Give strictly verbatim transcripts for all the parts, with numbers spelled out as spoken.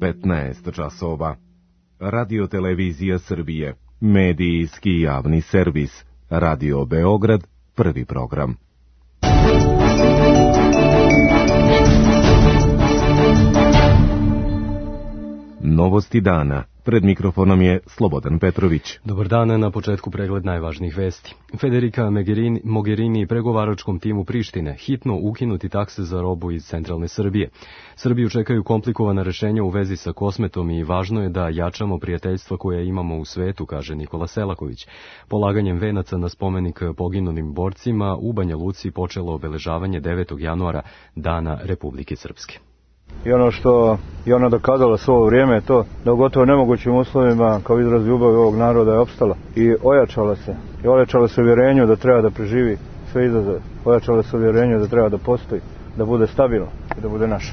petnaest časova. Radio Televizija Srbije, medijski javni servis, Radio Beograd, prvi program. Novosti dana. Pred mikrofonom je Slobodan Petrović. Dobar dan, na početku pregled najvažnijih vesti. Federica Mogherini i pregovaračkom timu Prištine hitno ukinuti takse za robu iz centralne Srbije. Srbiju čekaju komplikovana rešenja u vezi sa Kosmetom i važno je da jačamo prijateljstva koje imamo u svetu, kaže Nikola Selaković. Polaganjem venaca na spomenik poginulim borcima u Banja Luci počelo obeležavanje devetog januara, Dana Republike Srpske. I ono što je ona dokazala svo ovo vrijeme je to da u gotovo nemogućim uslovima kao izraz ljubavi ovog naroda je opstala i ojačala se. I ojačala se uvjerenju da treba da preživi sve izazove. Ojačala se uvjerenju da treba da postoji, da bude stabilno i da bude naša.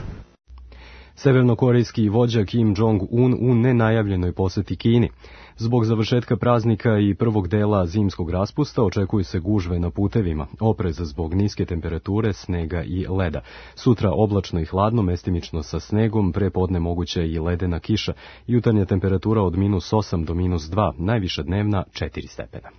Severnokorejski vođa Kim Jong-un u nenajavljenoj poseti Kini. Zbog završetka praznika i prvog dela zimskog raspusta očekuju se gužve na putevima, oprez zbog niske temperature, snega i leda. Sutra oblačno i hladno, mestimično sa snegom, pre podne moguća i ledena kiša. Jutarnja temperatura od minus osam do minus dva, najviša dnevna četiri stepena.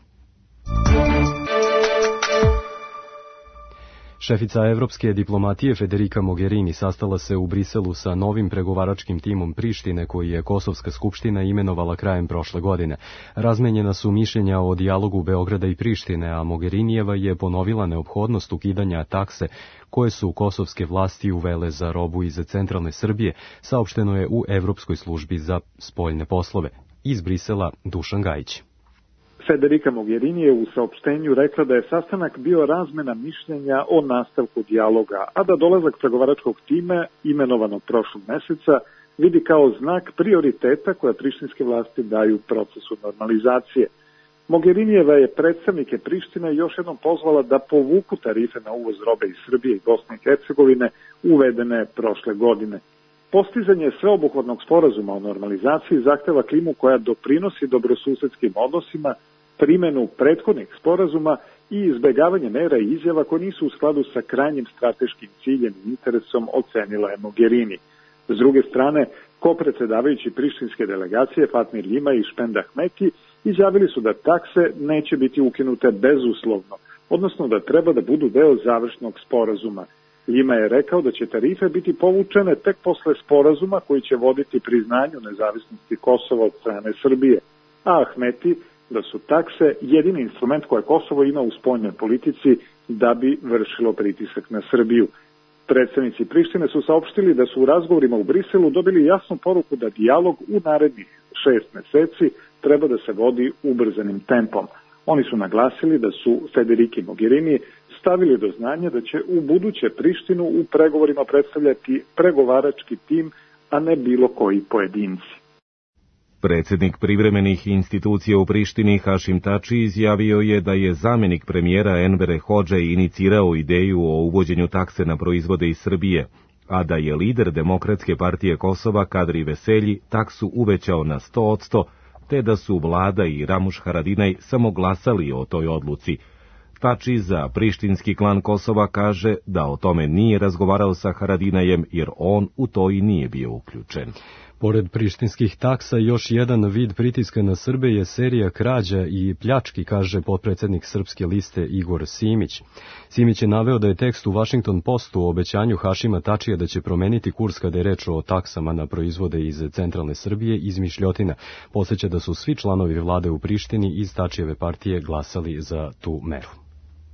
Šefica evropske diplomatije Federica Mogherini sastala se u Briselu sa novim pregovaračkim timom Prištine koji je Kosovska skupština imenovala krajem prošle godine. Razmenjena su mišljenja o dijalogu Beograda i Prištine, a Mogherinijeva je ponovila neophodnost ukidanja takse koje su kosovske vlasti uvele za robu iz centralne Srbije, saopšteno je u Evropskoj službi za spoljne poslove. Iz Brisela Dušan Gajić. Federica Mogherini je u saopštenju rekla da je sastanak bio razmena mišljenja o nastavku dijaloga, a da dolazak pregovaračkog tima, imenovanog prošlog meseca, vidi kao znak prioriteta koja prištinske vlasti daju procesu normalizacije. Mogherinijeva je predstavnike Prištine još jednom pozvala da povuku tarife na uvoz robe iz Srbije i Bosne i Hercegovine uvedene prošle godine. Postizanje sveobuhvatnog sporazuma o normalizaciji zahteva klimu koja doprinosi dobrosusedskim odnosima, primenu prethodnih sporazuma i izbegavanje mera i izjava koje nisu u skladu sa krajnjim strateškim ciljem i interesom, ocenila je Mogherini. S druge strane, kopredsedavajući prištinske delegacije Fatmir Ljima i Špend Ahmeti izjavili su da takse neće biti ukinute bezuslovno, odnosno da treba da budu deo završnog sporazuma. Ljima je rekao da će tarife biti povučene tek posle sporazuma koji će voditi priznanju nezavisnosti Kosova od strane Srbije, a Ahmeti da su takse jedini instrument koje Kosovo ima u spoljnoj politici da bi vršilo pritisak na Srbiju. Predstavnici Prištine su saopštili da su u razgovorima u Briselu dobili jasnu poruku da dijalog u narednih šest meseci treba da se vodi ubrzanim tempom. Oni su naglasili da su Federici Mogherini stavili do znanja da će u buduće Prištinu u pregovorima predstavljati pregovarački tim, a ne bilo koji pojedinci. Predsjednik privremenih institucija u Prištini Hašim Tači izjavio je da je zamjenik premijera Envere Hodže inicirao ideju o uvođenju takse na proizvode iz Srbije, a da je lider Demokratske partije Kosova Kadri Veselji taksu uvećao na sto odsto, te da su vlada i Ramuš Haradinaj samo glasali o toj odluci. Tači za prištinski klan Kosova kaže da o tome nije razgovarao sa Haradinajem jer on u to i nije bio uključen. Pored prištinskih taksa, još jedan vid pritiska na Srbe je serija krađa i pljački, kaže potpredsjednik Srpske liste Igor Simić. Simić je naveo da je tekst u Washington Postu o obećanju Hašima Tačija da će promeniti kurs kada je reč o taksama na proizvode iz centralne Srbije izmišljotina. Podsjeća da su svi članovi vlade u Prištini iz Tačijeve partije glasali za tu meru.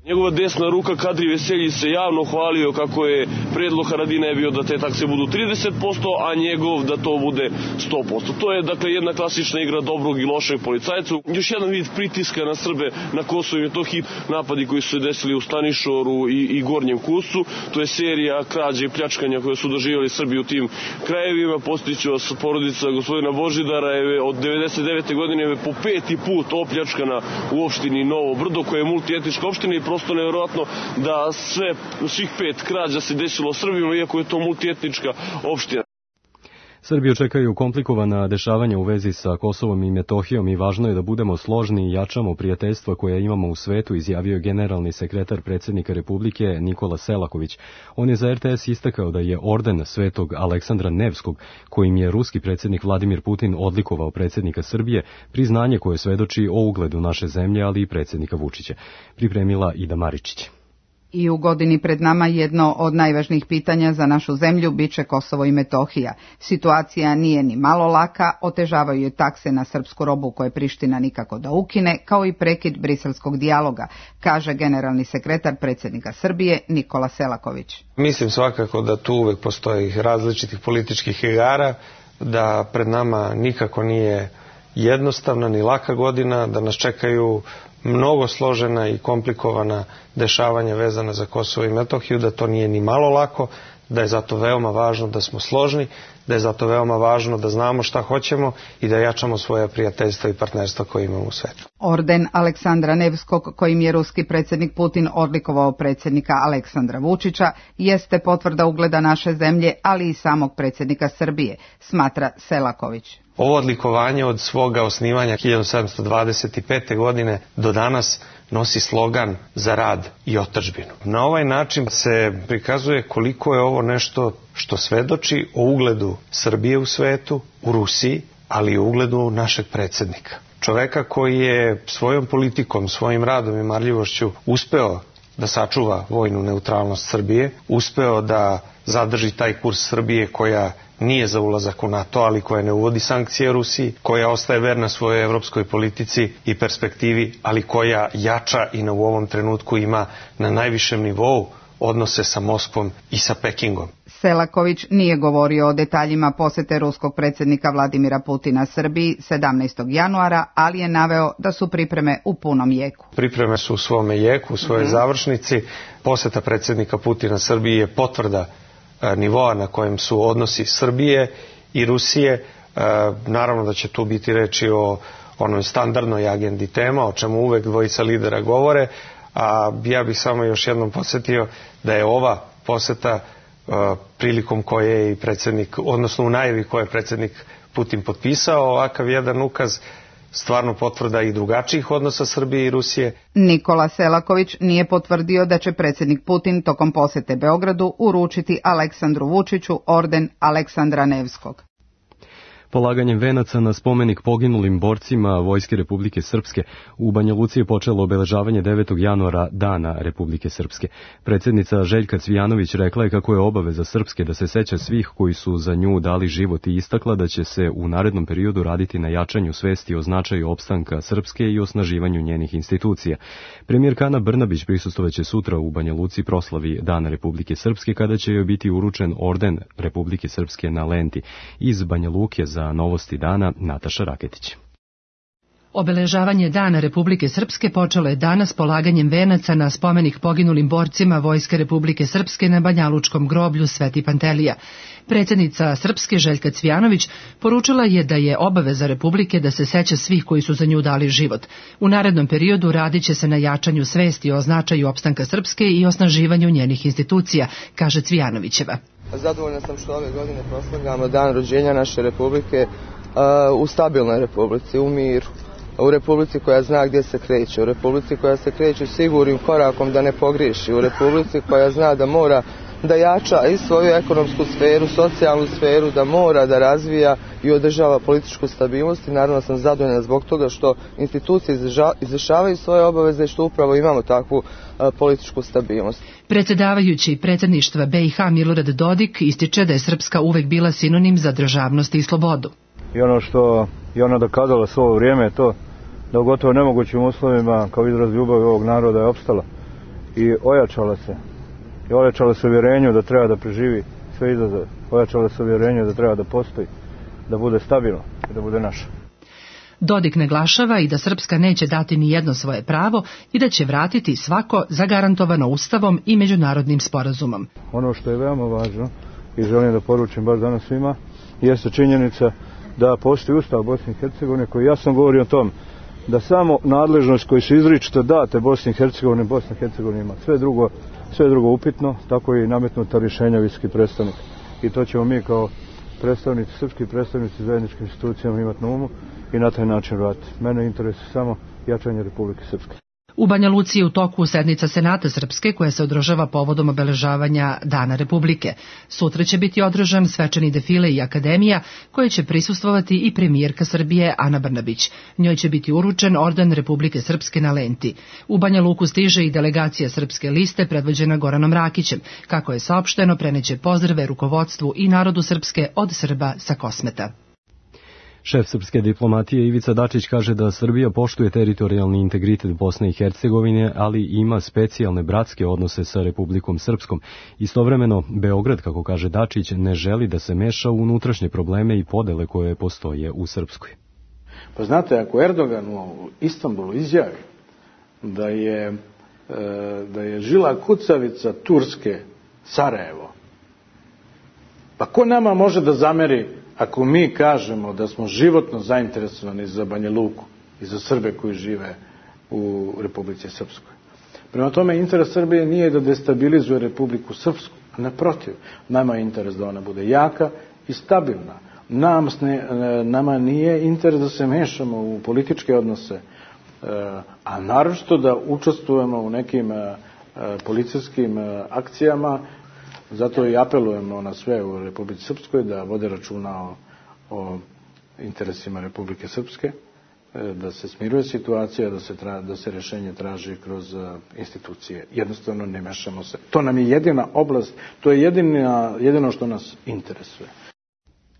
Njegova desna ruka Kadri Veselji se javno hvalio kako je predlog Haradinaja bio da te takse budu trideset posto, a njegov da to bude sto posto. To je dakle jedna klasična igra dobrog i lošeg policajca. Još jedan vid pritiska na Srbe na Kosovu i Metohiji, napadi koji su se desili u Stanišoru i, i Gornjem Kustu. To je serija krađe i pljačkanja koje su doživjeli Srbi u tim krajevima. Postiću vas, porodica gospodina Božidara je od devedeset devete godine je po peti put opljačkana u opštini Novo Brdo, koja je multietnička opština, i prosto nevjerojatno da sve, svih pet krađa se desilo Srbima, iako je to multietnička opština. Srbiju čekaju komplikovana dešavanja u vezi sa Kosovom i Metohijom i važno je da budemo složni i jačamo prijateljstva koja imamo u svetu, izjavio generalni sekretar predsjednika Republike Nikola Selaković. On je za er te es istakao da je orden Svetog Aleksandra Nevskog, kojim je ruski predsjednik Vladimir Putin odlikovao predsjednika Srbije, priznanje koje svedoči o ugledu naše zemlje, ali i predsjednika Vučića. Pripremila Ida Maričić. I u godini pred nama jedno od najvažnijih pitanja za našu zemlju biće Kosovo i Metohija. Situacija nije ni malo laka, otežavaju je takse na srpsku robu koje Priština nikako da ukine, kao i prekid briselskog dijaloga, kaže generalni sekretar predsjednika Srbije Nikola Selaković. Mislim svakako da tu uvek postoji različitih političkih igara, da pred nama nikako nije jednostavna ni laka godina, da nas čekaju mnogo složena i komplikovana dešavanja vezana za Kosovo i Metohiju, da to nije ni malo lako, da je zato veoma važno da smo složni, da je zato veoma važno da znamo šta hoćemo i da jačamo svoja prijateljstva i partnerstva koje imamo u svetu. Orden Aleksandra Nevskog, kojim je ruski predsjednik Putin odlikovao predsjednika Aleksandra Vučića, jeste potvrda ugleda naše zemlje, ali i samog predsjednika Srbije, smatra Selaković. Ovo odlikovanje od svoga osnivanja hiljadu sedamsto dvadeset pete. godine do danas nosi slogan za rad i otadžbinu. Na ovaj način se prikazuje koliko je ovo nešto što svedoči o ugledu Srbije u svetu, u Rusiji, ali i o ugledu našeg predsjednika. Čoveka koji je svojom politikom, svojim radom i marljivošću uspeo da sačuva vojnu neutralnost Srbije, uspeo da zadrži taj kurs Srbije koja nije za ulazak u NATO, ali koja ne uvodi sankcije Rusiji, koja ostaje verna svojoj evropskoj politici i perspektivi, ali koja jača i na u ovom trenutku ima na najvišem nivou odnose sa Moskvom i sa Pekingom. Selaković nije govorio o detaljima posete ruskog predsjednika Vladimira Putina Srbiji sedamnaestog januara, ali je naveo da su pripreme u punom jeku. Pripreme su u svome jeku, u svojoj mm-hmm. završnici. Poseta predsjednika Putina Srbiji je potvrda nivoa na kojem su odnosi Srbije i Rusije. Naravno da će tu biti reči o onoj standardnoj agendi tema, o čemu uvek dvojica lidera govore, a ja bih samo još jednom podsjetio da je ova poseta prilikom koje je i predsjednik, odnosno u najavi koje je predsjednik Putin potpisao ovakav jedan ukaz, stvarno potvrda i drugačijih odnosa Srbije i Rusije. Nikola Selaković nije potvrdio da će predsjednik Putin tokom posete Beogradu uručiti Aleksandru Vučiću orden Aleksandra Nevskog. Polaganjem venaca na spomenik poginulim borcima Vojske Republike Srpske u Banja Luci je počelo obeležavanje devetog januara Dana Republike Srpske. Predsjednica Željka Cvijanović rekla je kako je obaveza Srpske da se seća svih koji su za nju dali život i istakla da će se u narednom periodu raditi na jačanju svesti o značaju opstanka Srpske i osnaživanju njenih institucija. Premijerka Ana Brnabić prisustvovaće sutra u Banja Luci proslavi Dana Republike Srpske kada će joj biti uručen orden Republike Srpske na lenti. Iz Banja Luke za Novosti dana Nataša Raketić. Obeležavanje Dana Republike Srpske počelo je danas polaganjem venaca na spomenik poginulim borcima Vojske Republike Srpske na Banjalučkom groblju Sveti Pantelija. Predsjednica Srpske Željka Cvijanović poručila je da je obaveza Republike da se seća svih koji su za nju dali život. U narednom periodu radit će se na jačanju svesti o značaju opstanka Srpske i osnaživanju njenih institucija, kaže Cvijanovićeva. Zadovoljna sam što ove godine proslavljamo dan rođenja naše Republike uh, u stabilnoj Republici, u miru. U Republici koja zna gdje se kreće, u Republici koja se kreće sigurnim korakom da ne pogriješi, u Republici koja zna da mora da jača i svoju ekonomsku sferu, socijalnu sferu, da mora da razvija i održava političku stabilnost i naravno sam zadovoljna zbog toga što institucije izvršavaju svoje obaveze i što upravo imamo takvu a, političku stabilnost. Predsjedavajući predsjedništva be i ha Milorad Dodik ističe da je Srpska uvek bila sinonim za državnost i slobodu. I ono što je ona dokazala svo ovo vrijeme je to da u gotovo nemogućim uslovima kao izraz ljubavi ovog naroda je opstala i ojačala se. I ojačala se uvjerenju da treba da preživi sve izazove. Ojačala se uvjerenju da treba da postoji, da bude stabilno i da bude naša. Dodik naglašava i da Srpska neće dati ni jedno svoje pravo i da će vratiti svako zagarantovano Ustavom i međunarodnim sporazumom. Ono što je veoma važno i želim da poručim baš danas svima jeste činjenica da postoji Ustav Bosne i Hercegovine koji jasno govori o tom da samo nadležnost koji su izričito date Bosni i Hercegovine, Bosna i Hercegovina ima sve drugo, sve drugo upitno, tako i nametnuta rješenja visoki predstavnik. I to ćemo mi kao predstavnici, srpski predstavnici zajedničkim institucijama imati na umu i na taj način raditi. Mene interesuje samo jačanje Republike Srpske. U Banja Luci je u toku sednica Senata Srpske koja se održava povodom obeležavanja Dana Republike. Sutra će biti održan svečani defile i akademija koje će prisustvovati i premijerka Srbije Ana Brnabić. Njoj će biti uručen orden Republike Srpske na lenti. U Banja Luku stiže i delegacija Srpske liste predvođena Goranom Rakićem. Kako je saopšteno, preneće pozdrave rukovodstvu i narodu Srpske od Srba sa Kosmeta. Šef srpske diplomatije Ivica Dačić kaže da Srbija poštuje teritorijalni integritet Bosne i Hercegovine, ali ima specijalne bratske odnose sa Republikom Srpskom. Istovremeno, Beograd, kako kaže Dačić, ne želi da se meša u unutrašnje probleme i podele koje postoje u Srpskoj. Pa znate, ako Erdogan u Istanbulu izjavi da je, da je žila kucavica Turske Sarajevo, pa ko nama može da zameri ako mi kažemo da smo životno zainteresovani za Banja Luku i za Srbe koji žive u Republici Srpskoj? Prema tome, interes Srbije nije da destabilizuje Republiku Srpsku, naprotiv, nama je interes da ona bude jaka i stabilna. Nam, nama nije interes da se mešamo u političke odnose, a naročito da učestvujemo u nekim policijskim akcijama. Zato i apelujemo na sve u Republici Srpskoj da vode računa o, o interesima Republike Srpske, da se smiruje situacija, da se, tra, da se rešenje traži kroz institucije. Jednostavno ne mešamo se. To nam je jedina oblast, to je jedina, jedino što nas interesuje.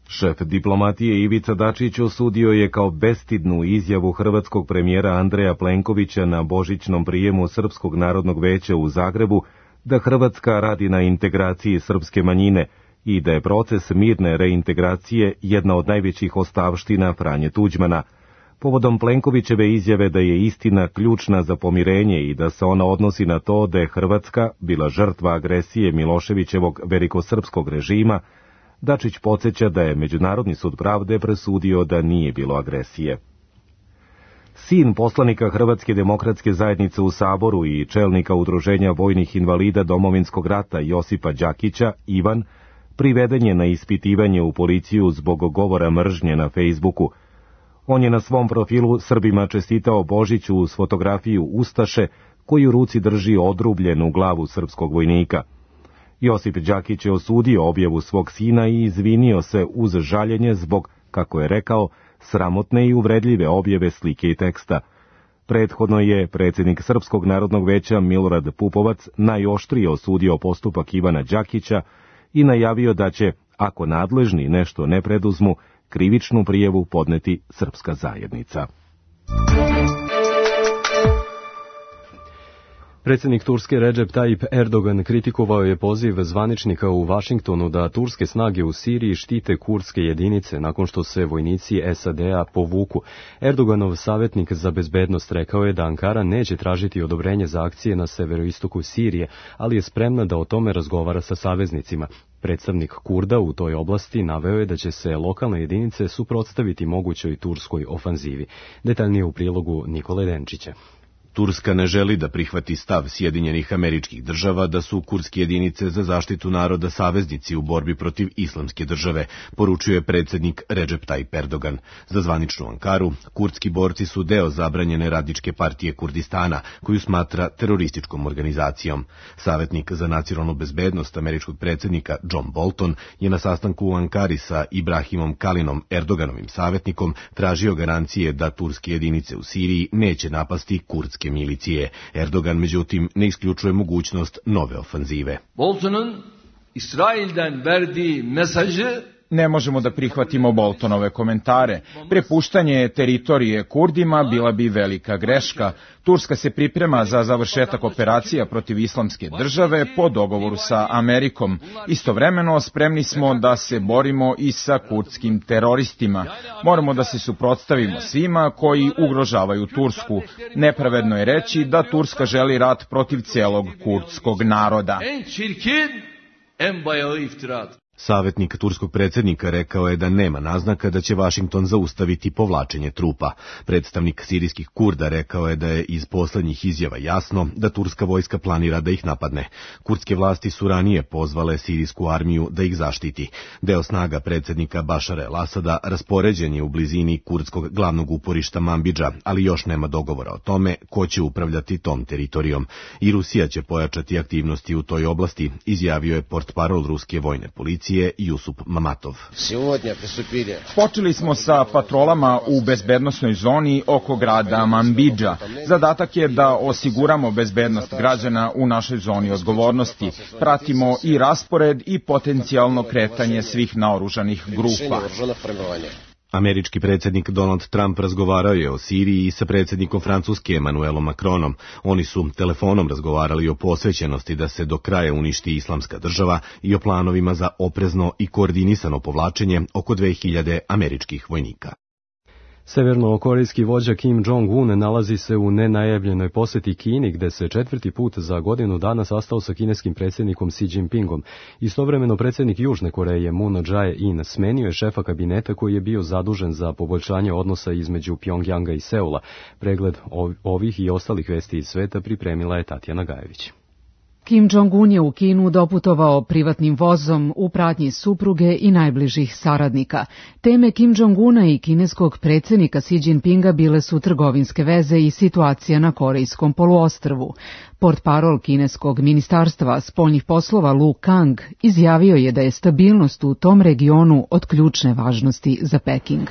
Šef diplomatije Ivica Dačić osudio je kao bestidnu izjavu hrvatskog premijera Andreja Plenkovića na božićnom prijemu Srpskog narodnog veća u Zagrebu da Hrvatska radi na integraciji srpske manjine i da je proces mirne reintegracije jedna od najvećih ostavština Franje Tuđmana. Povodom Plenkovićeve izjave da je istina ključna za pomirenje i da se ona odnosi na to da je Hrvatska bila žrtva agresije Miloševićevog velikosrpskog režima, Dačić podsjeća da je Međunarodni sud pravde presudio da nije bilo agresije. Sin poslanika Hrvatske demokratske zajednice u Saboru i čelnika Udruženja vojnih invalida Domovinskog rata Josipa Đakića, Ivan, priveden je na ispitivanje u policiju zbog govora mržnje na Fejsbuku. On je na svom profilu Srbima čestitao Božić uz fotografiju Ustaše koji u ruci drži odrubljenu glavu srpskog vojnika. Josip Đakić je osudio objavu svog sina i izvinio se uz žaljenje zbog, kako je rekao, sramotne i uvredljive objave slike i teksta. Prethodno je predsjednik Srpskog narodnog veća Milorad Pupovac najoštrije osudio postupak Ivana Đakića i najavio da će, ako nadležni nešto ne preduzmu, krivičnu prijavu podneti srpska zajednica. Predsjednik Turske Recep Tayyip Erdogan kritikovao je poziv zvaničnika u Vašingtonu da turske snage u Siriji štite kurdske jedinice nakon što se vojnici S A D-a povuku. Erdoganov savjetnik za bezbednost rekao je da Ankara neće tražiti odobrenje za akcije na severoistoku Sirije, ali je spremna da o tome razgovara sa saveznicima. Predstavnik Kurda u toj oblasti naveo je da će se lokalne jedinice suprotstaviti mogućoj turskoj ofanzivi. Detaljnije u prilogu Nikole Denčića. Turska ne želi da prihvati stav Sjedinjenih Američkih Država da su kurdske jedinice za zaštitu naroda saveznici u borbi protiv islamske države, poručuje predsjednik Recep Tayyip Erdogan. Za zvaničnu Ankaru, kurdski borci su deo zabranjene radničke partije Kurdistana, koju smatra terorističkom organizacijom. Savjetnik za nacionalnu bezbednost američkog predsjednika John Bolton je na sastanku u Ankari sa Ibrahimom Kalinom, Erdoganovim savjetnikom, tražio garancije da turske jedinice u Siriji neće napasti kurdske milicije. Erdogan, međutim, ne isključuje mogućnost nove ofanzive. Bolton'un İsrail'den verdiği mesajı Ne možemo da prihvatimo Boltonove komentare. Prepuštanje teritorije Kurdima bila bi velika greška. Turska se priprema za završetak operacija protiv islamske države po dogovoru sa Amerikom. Istovremeno spremni smo da se borimo i sa kurdskim teroristima. Moramo da se suprotstavimo svima koji ugrožavaju Tursku. Nepravedno je reći da Turska želi rat protiv celog kurdskog naroda. En çirkin, en bayağı iftirat. Savjetnik turskog predsjednika rekao je da nema naznaka da će Vašington zaustaviti povlačenje trupa. Predstavnik sirijskih Kurda rekao je da je iz poslednjih izjava jasno da turska vojska planira da ih napadne. Kurdske vlasti su ranije pozvale sirijsku armiju da ih zaštiti. Deo snaga predsjednika Bašara el-Asada raspoređen je u blizini kurdskog glavnog uporišta Manbidža, ali još nema dogovora o tome ko će upravljati tom teritorijom. I Rusija će pojačati aktivnosti u toj oblasti, izjavio je portparol ruske vojne policije Jusup Mamatov. Počeli smo sa patrolama u bezbednosnoj zoni oko grada Manbidža. Zadatak je da osiguramo bezbednost građana u našoj zoni odgovornosti. Pratimo i raspored i potencijalno kretanje svih naoružanih grupa. Američki predsjednik Donald Trump razgovarao je o Siriji sa predsjednikom Francuske Emmanuelom Macronom. Oni su telefonom razgovarali o posvećenosti da se do kraja uništi islamska država i o planovima za oprezno i koordinisano povlačenje oko dve hiljade američkih vojnika. Severnokorejski vođa Kim Jong-un nalazi se u nenajavljenoj poseti Kini, gde se četvrti put za godinu dana sastao sa kineskim predsjednikom Xi Jinpingom. Istovremeno predsjednik Južne Koreje Moon Jae-in smenio je šefa kabineta koji je bio zadužen za poboljšanje odnosa između Pjongjanga i Seula. Pregled ovih i ostalih vesti iz sveta pripremila je Tatjana Gajević. Kim Jong-un je u Kinu doputovao privatnim vozom u pratnji supruge i najbližih saradnika. Teme Kim Jong-una i kineskog predsjednika Xi Jinpinga bile su trgovinske veze i situacija na Korejskom poluostrvu. Portparol kineskog ministarstva spoljnih poslova Lu Kang izjavio je da je stabilnost u tom regionu od ključne važnosti za Peking.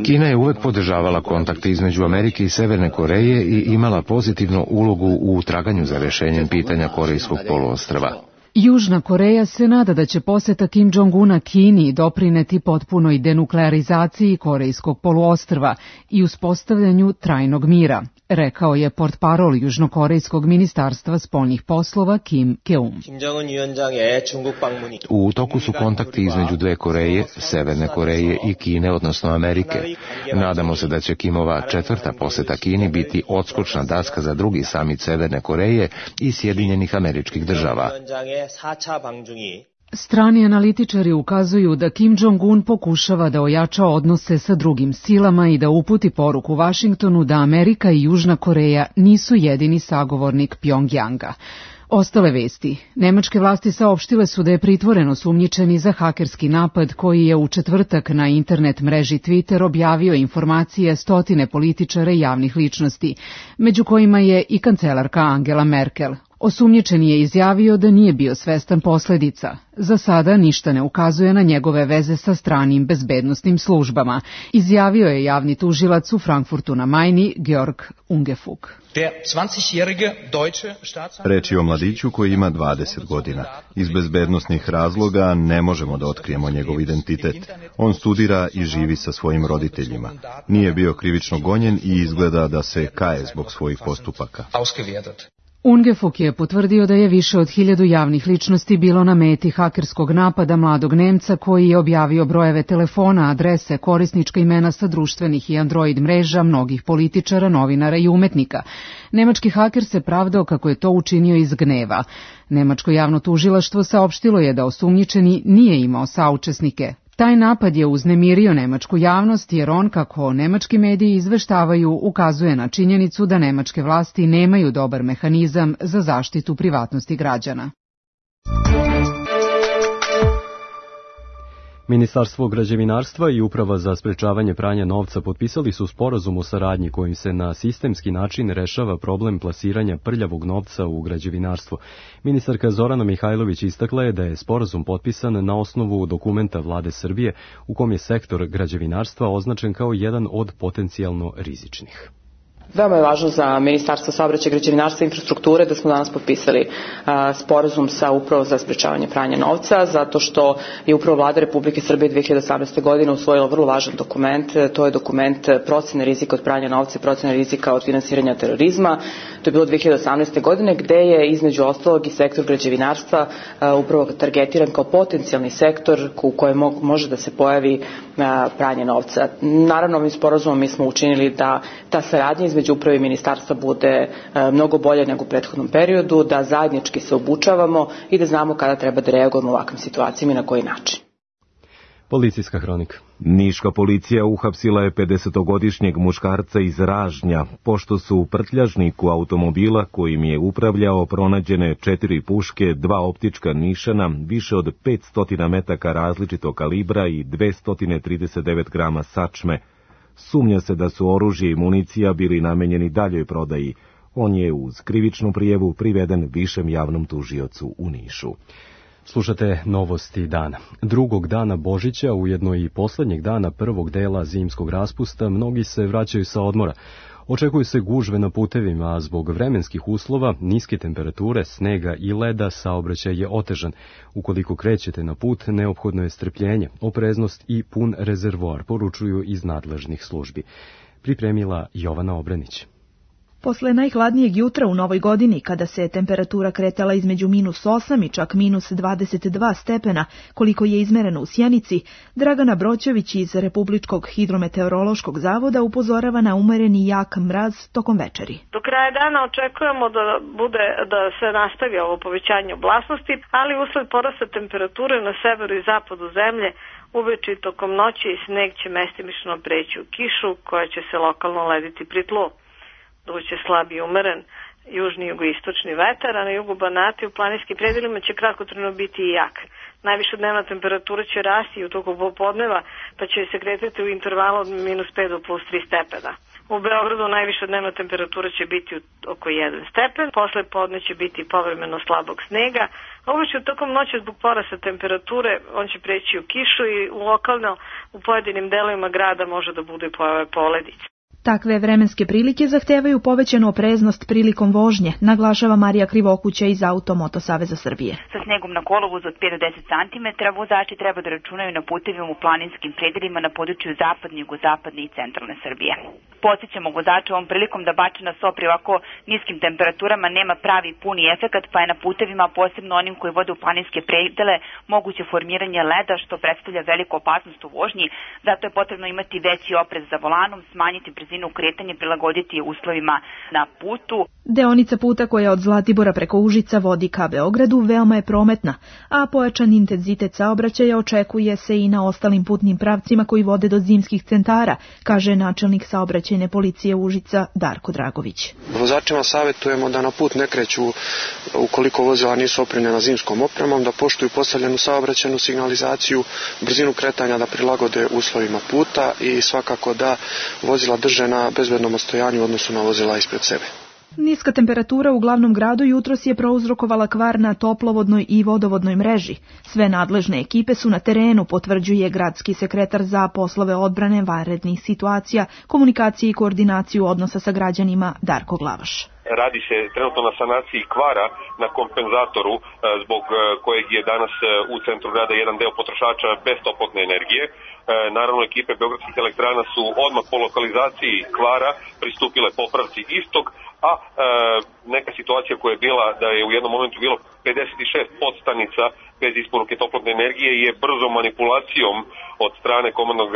Kina je uvek podržavala kontakte između Amerike i Severne Koreje i imala pozitivnu ulogu u traganju za rešenjem pitanja Korejskog poluostrva. Južna Koreja se nada da će poseta Kim Jong-una Kini doprineti potpunoj denuklearizaciji Korejskog poluostrva i uspostavljanju trajnog mira, rekao je portparol Južnokorejskog ministarstva spoljnih poslova Kim Keum. U toku su kontakti između dve Koreje, Severne Koreje i Kine, odnosno Amerike. Nadamo se da će Kimova četvrta poseta Kini biti odskočna daska za drugi samit Severne Koreje i Sjedinjenih Američkih Država. Strani analitičari ukazuju da Kim Jong-un pokušava da ojača odnose sa drugim silama i da uputi poruku Vašingtonu da Amerika i Južna Koreja nisu jedini sagovornik Pjongjanga. Ostale vesti. Nemačke vlasti saopštile su da je pritvoren osumnjičeni za hakerski napad koji je u četvrtak na internet mreži Twitter objavio informacije stotine političara i javnih ličnosti, među kojima je i kancelarka Angela Merkel. Osumnjičeni je izjavio da nije bio svestan posledica. Za sada ništa ne ukazuje na njegove veze sa stranim bezbednosnim službama, izjavio je javni tužilac u Frankfurtu na Majni Georg Ungefug. Reč je o mladiću koji ima dvadeset godina. Iz bezbednosnih razloga ne možemo da otkrijemo njegov identitet. On studira i živi sa svojim roditeljima. Nije bio krivično gonjen i izgleda da se kaje zbog svojih postupaka. Ungefug je potvrdio da je više od hiljadu javnih ličnosti bilo na meti hakerskog napada mladog Nemca koji je objavio brojeve telefona, adrese, korisnička imena sa društvenih i Android mreža mnogih političara, novinara i umetnika. Nemački haker se pravdao kako je to učinio iz gneva. Nemačko javno tužilaštvo saopštilo je da osumnjičeni nije imao saučesnike. Taj napad je uznemirio nemačku javnost jer on, kako nemački mediji izveštavaju, ukazuje na činjenicu da nemačke vlasti nemaju dobar mehanizam za zaštitu privatnosti građana. Ministarstvo građevinarstva i Uprava za sprečavanje pranja novca potpisali su sporazum o saradnji kojim se na sistemski način rešava problem plasiranja prljavog novca u građevinarstvo. Ministarka Zorana Mihajlović istakla je da je sporazum potpisan na osnovu dokumenta Vlade Srbije u kom je sektor građevinarstva označen kao jedan od potencijalno rizičnih. Veoma je važno za Ministarstvo saobraćaja, građevinarstva i infrastrukture da smo danas potpisali a, sporazum sa Upravom za sprečavanje pranja novca, zato što je upravo Vlada Republike Srbije dve hiljade osamnaeste. godine usvojila vrlo važan dokument. To je dokument procene rizika od pranja novca i procene rizika od finansiranja terorizma. To je bilo dve hiljade osamnaeste. godine, gde je između ostalog i sektor građevinarstva a, upravo targetiran kao potencijalni sektor u kojem mo- može da se pojavi a, pranje novca. Naravno, ovim sporazumom mi smo učinili da ta saradnja između između uprave i ministarstva bude mnogo bolje nego u prethodnom periodu, da zajednički se obučavamo i da znamo kada treba da reagujemo u ovakvim situacijama i na koji način. Policijska hronika. Niška policija uhapsila je pedesetogodišnjeg muškarca iz Ražnja, pošto su u prtljažniku automobila kojim je upravljao pronađene četiri puške, dva optička nišana, više od petsto metaka različitog kalibra i dvesta trideset devet grama sačme. Sumnja se da su oružje i municija bili namenjeni daljoj prodaji. On je uz krivičnu prijavu priveden višem javnom tužiocu u Nišu. Slušate novosti dana. Drugog dana Božića, ujedno i poslednjeg dana prvog dela zimskog raspusta, mnogi se vraćaju sa odmora. Očekuju se gužve na putevima, a zbog vremenskih uslova, niske temperature, snega i leda, saobraćaj je otežan. Ukoliko krećete na put, neophodno je strpljenje, opreznost i pun rezervoar, poručuju iz nadležnih službi. Pripremila Jovana Obranić. Posle najhladnijeg jutra u novoj godini, kada se temperatura kretala između minus osam i čak minus dvadeset dva stepena, koliko je izmereno u Sjenici, Dragana Broćević iz Republičkog hidrometeorološkog zavoda upozorava na umereni jak mraz tokom večeri. Do kraja dana očekujemo da bude da se nastavi ovo povećanje oblasnosti, ali usled porasta temperature na severu i zapadu zemlje, uveče i tokom noći sneg će mestimično preći u kišu, koja će se lokalno lediti pri tlu. Duće slab i umeren južni i jugoistočni vetar, a na jugu Banata i u planinskim predelima će kratkotrajno biti i jak. Najviša dnevna temperatura će rasti u toku popodneva, pa će se kretati u intervalu od minus pet do plus tri stepena. U Beogradu najviša dnevna temperatura će biti oko jedan stepen, posle podne će biti povremeno slabog snega, a uveče tokom noći zbog porasta temperature on će preći u kišu i lokalno u pojedinim delovima grada može da bude pojave poledice. Takve vremenske prilike zahtevaju povećanu opreznost prilikom vožnje, naglašava Marija Krivokuća iz Automoto Saveza Srbije. Sa snegom na kolovozu od pet do deset centimetara vozači treba da računaju na putevima u planinskim predelima na području zapadne, jugozapadne i centralne Srbije. Podsjećamo vozača ovom prilikom da bačena so pri ovako niskim temperaturama nema pravi puni efekat, pa je na putevima, posebno onim koji vode u planinske predele, moguće formiranje leda, što predstavlja veliku opasnost u vožnji. Zato je potrebno imati veći oprez za volanom, smanjiti brzinu kretanja, prilagoditi uslovima na putu. Deonica puta koja od Zlatibora preko Užica vodi ka Beogradu veoma je prometna, a pojačan intenzitet saobraćaja očekuje se i na ostalim putnim pravcima koji vode do zimskih centara, kaže načelnik saobraćajne policije Užica Darko Dragović. Vozačima savjetujemo da na put ne kreću ukoliko vozila nisu opremljena zimskom opremom, da poštuju postavljenu saobraćajnu signalizaciju, brzinu kretanja da prilagode uslovima puta i svakako da vozila drže na bezbednom ostojanju u odnosu na vozila ispred sebe. Niska temperatura u glavnom gradu jutros je prouzrokovala kvar na toplovodnoj i vodovodnoj mreži. Sve nadležne ekipe su na terenu, potvrđuje gradski sekretar za poslove odbrane, vanrednih situacija, komunikacije i koordinaciju odnosa sa građanima Darko Glavaš. Radi se trenutno na sanaciji kvara na kompenzatoru zbog kojeg je danas u centru grada jedan deo potrošača bez toplotne energije. Naravno, ekipe Beogradskih elektrana su odmah po lokalizaciji kvara pristupile popravci istog, a e, neka situacija koja je bila da je u jednom momentu bilo pedeset šest podstanica bez isporuke toplotne energije je brzo manipulacijom od strane komandnog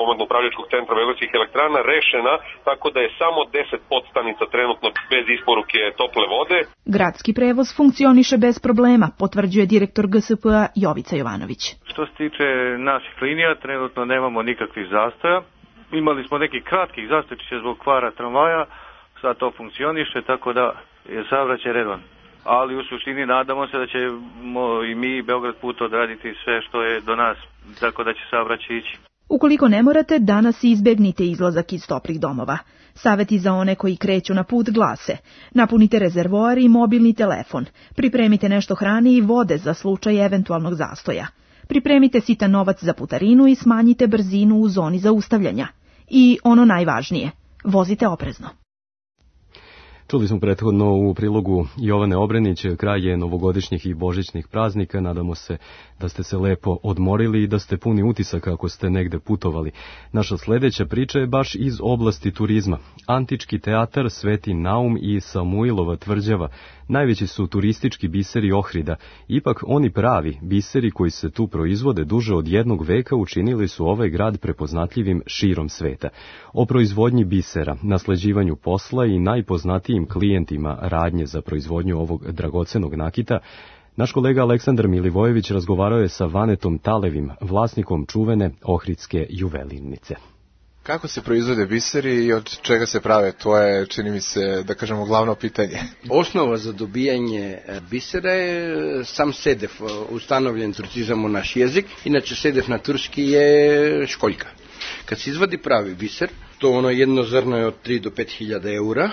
komandno-upravljačkog centra Beogradskih elektrana rešena, tako da je samo deset podstanica trenutno bez isporuke tople vode. Gradski prevoz funkcioniše bez problema, potvrđuje direktor G S P-a Jovica Jovanović. Što se tiče naših linija, trenutno nemamo nikakvih zastoja. Imali smo nekih kratkih zastojića zbog kvara tramvaja, sad to funkcioniše, tako da je saobraćaj redovan. Ali u suštini nadamo se da ćemo i mi Beograd put odraditi sve što je do nas, tako da će saobraćaj ići. Ukoliko ne morate, danas izbegnite izlazak iz toplih domova. Saveti za one koji kreću na put glase: napunite rezervoar i mobilni telefon, pripremite nešto hrane i vode za slučaj eventualnog zastoja, pripremite sitan novac za putarinu i smanjite brzinu u zoni zaustavljanja. I ono najvažnije, vozite oprezno. Čuli smo prethodno u prilogu Jovane Obrenić, kraj je novogodišnjih i božićnih praznika. Nadamo se da ste se lepo odmorili i da ste puni utisaka ako ste negde putovali. Naša sledeća priča je baš iz oblasti turizma. Antički teatar Sveti Naum i Samuilova tvrđava najveći su turistički biseri Ohrida. Ipak oni pravi biseri koji se tu proizvode duže od jednog veka učinili su ovaj grad prepoznatljivim širom sveta. O proizvodnji bisera, nasleđivanju posla i najpoznatijim klijentima radnje za proizvodnju ovog dragocenog nakita, naš kolega Aleksandar Milivojević razgovarao je sa Vanetom Talevim, vlasnikom čuvene ohridske juvelirnice. Kako se proizvode biseri i od čega se prave? To je, čini mi se, da kažemo, glavno pitanje. Osnova za dobijanje bisera je sam sedef, ustanovljen turcizam u naš jezik. Inače, sedef na turski je školjka. Kad se izvadi pravi biser, to ono jedno zrno je od tri do pet hiljada eura,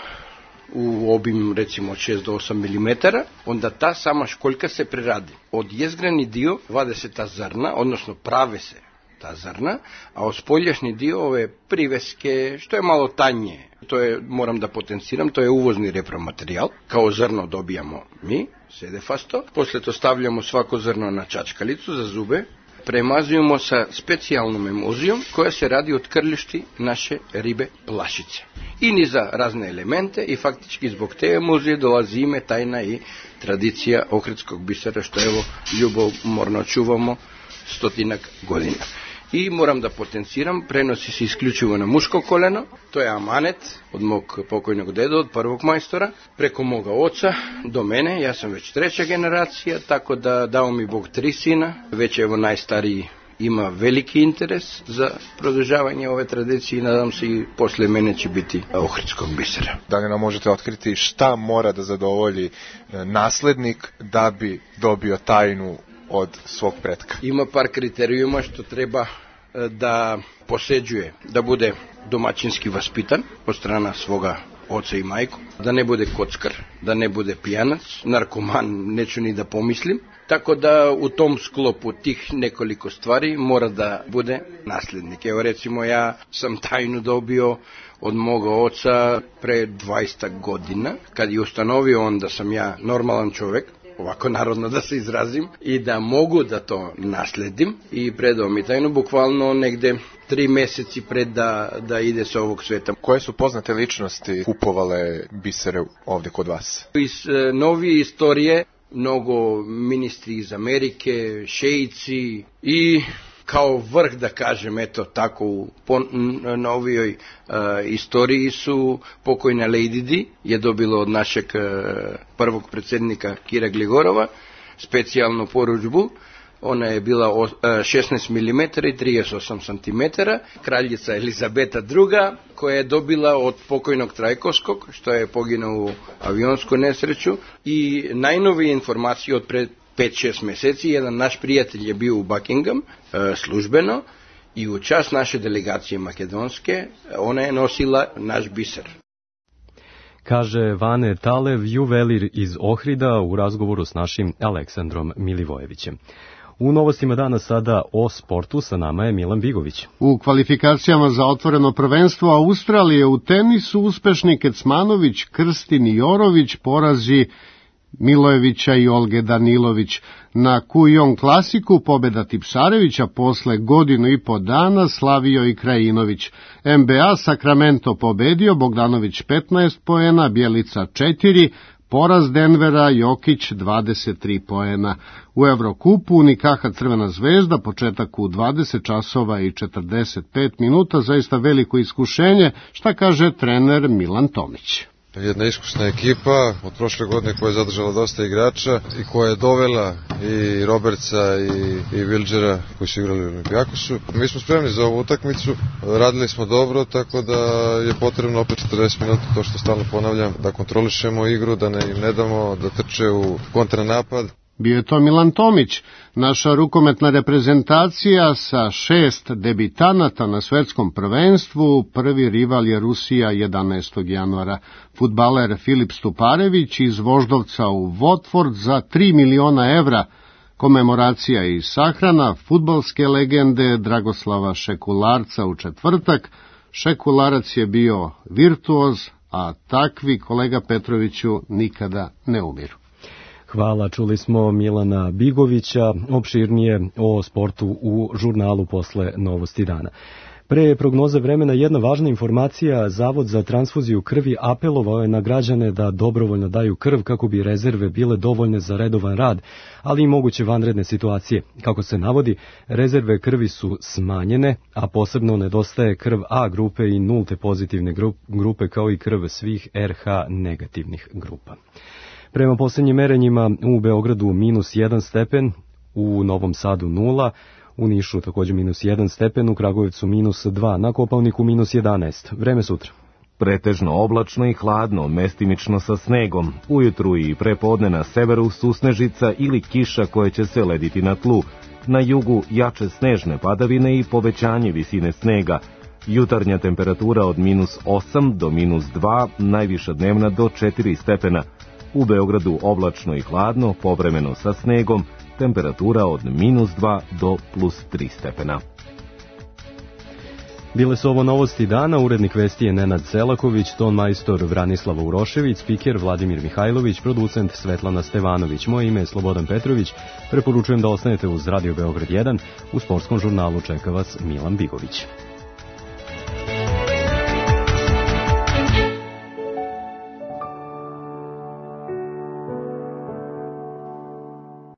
u obim recimo od šest do osam milimetara, onda ta sama školjka se preradi. Od jezgreni dio vade se ta zrna, odnosno prave se ta zrna, a od spoljašnji dio ove priveske, što je malo tanje, to je, moram da potenciram, to je uvozni repromaterijal, kao zrno dobijamo mi, sedefasto, posle to stavljamo svako zrno na čačkalicu za zube, premazujemo sa specijalnom emulzijom koja se radi od krljišti naše ribe plašice. I niza razne elemente i faktički zbog te emulzije dolazi ime, tajna i tradicija ohridskog bisera, što evo ljubomorno čuvamo stotinak godina. I moram da potenciram, prenosi se isključivo na muško koleno, to je amanet od mog pokojnog deda, od prvog majstora, preko moga oca do mene, ja sam već treća generacija, tako da dao mi Bog tri sina, već evo najstariji ima veliki interes za produžavanje ove tradicije i nadam se i posle mene će biti ohridskog bisera. Da li nam možete otkriti šta mora da zadovolji naslednik da bi dobio tajnu od svog pretka? Ima par kriterijuma što treba da poseđuje, da bude domaćinski vaspitan od strana svoga oca i majku, da ne bude kockar, da ne bude pijanac, narkoman, neću ni da pomislim, tako da u tom sklopu tih nekoliko stvari mora da bude naslednik. Evo recimo ja sam tajnu dobio od moga oca pre dvadeset godina, kad je ustanovio on da sam ja normalan čovek, ovako narodno da se izrazim, i da mogu da to nasledim i predao mi tajnu bukvalno negde tri meseci pred da, da ide sa ovog sveta. Koje su poznate ličnosti kupovale bisere ovde kod vas? Iz e, novije istorije mnogo ministri iz Amerike, šeici i kao vrh, da kažem, eto tako u novijoj uh, istoriji su pokojna Lady Di je dobila od našeg uh, prvog predsjednika Kira Gligorova specijalnu poručbu. Ona je bila uh, šesnaest milimetara i trideset osam centimetara, kraljica Elizabeta druga, koja je dobila od pokojnog Trajkovskog, što je poginuo u avionsku nesreću, i najnovije informacije od pred pet šest meseci, jedan naš prijatelj je bio u Buckingham e, službeno i u čast naše delegacije makedonske ona je nosila naš biser. Kaže Vane Talev, juvelir iz Ohrida u razgovoru s našim Aleksandrom Milivojevićem. U novostima dana sada o sportu, sa nama je Milan Bigović. U kvalifikacijama za otvoreno prvenstvo Australije u tenisu uspešni Kecmanović, Krstin i Jorović porazi Milojevića i Olge Danilović. Na Kujong klasiku pobeda Tipsarevića posle godinu i po dana slavio i Krajinović. N B A Sacramento pobedio, Bogdanović petnaest poena, Bjelica četiri, poraz Denvera, Jokić dvadeset tri poena. U Evrokupu Unikaha Crvena zvezda, početak u dvadeset časova i četrdeset pet minuta, zaista veliko iskušenje, šta kaže trener Milan Tomić. Jedna iskusna ekipa od prošle godine koja je zadržala dosta igrača i koja je dovela i Robertsa i, i Wilgera koji su igrali u Olimpijakosu. Mi smo spremni za ovu utakmicu, radili smo dobro, tako da je potrebno opet četrdeset minuta, to što stalno ponavljam, da kontrolišemo igru, da ne, im ne damo da trče u kontranapad. Bio je to Milan Tomić, naša rukometna reprezentacija sa šest debitanata na svetskom prvenstvu. Prvi rival je Rusija jedanaestog januara. Fudbaler Filip Stuparević iz Voždovca u Watford za tri miliona evra. Komemoracija i sahrana fudbalske legende Dragoslava Šekularca u četvrtak. Šekularac je bio virtuoz, a takvi, kolega Petroviću, nikada ne umiru. Hvala, čuli smo Milana Bigovića, opširnije o sportu u žurnalu posle Novosti dana. Pre prognoze vremena jedna važna informacija, Zavod za transfuziju krvi apelovao je na građane da dobrovoljno daju krv kako bi rezerve bile dovoljne za redovan rad, ali i moguće vanredne situacije. Kako se navodi, rezerve krvi su smanjene, a posebno nedostaje krv A grupe i nulte pozitivne grupe kao i krv svih R H negativnih grupa. Prema posljednjim merenjima u Beogradu minus jedan stepen, u Novom Sadu nula, u Nišu također minus jedan stepen, u Kragujevcu minus dva, na Kopaoniku minus jedanaest. Vreme sutra. Pretežno oblačno i hladno, mestimično sa snegom. Ujutru i prepodne na severu susnežica ili kiša koje će se lediti na tlu. Na jugu jače snežne padavine i povećanje visine snega. Jutarnja temperatura od minus osam do minus dva, najviša dnevna do četiri stepena. U Beogradu oblačno i hladno, povremeno sa snegom, temperatura od minus dva do plus tri stepena. Bile su ovo novosti dana, urednik vesti je Nenad Selaković, ton majstor Vranislava Urošević, spiker Vladimir Mihajlović, producent Svetlana Stevanović. Moje ime je Slobodan Petrović, preporučujem da ostanete uz Radio Beograd jedan, u sportskom žurnalu čeka vas Milan Bigović.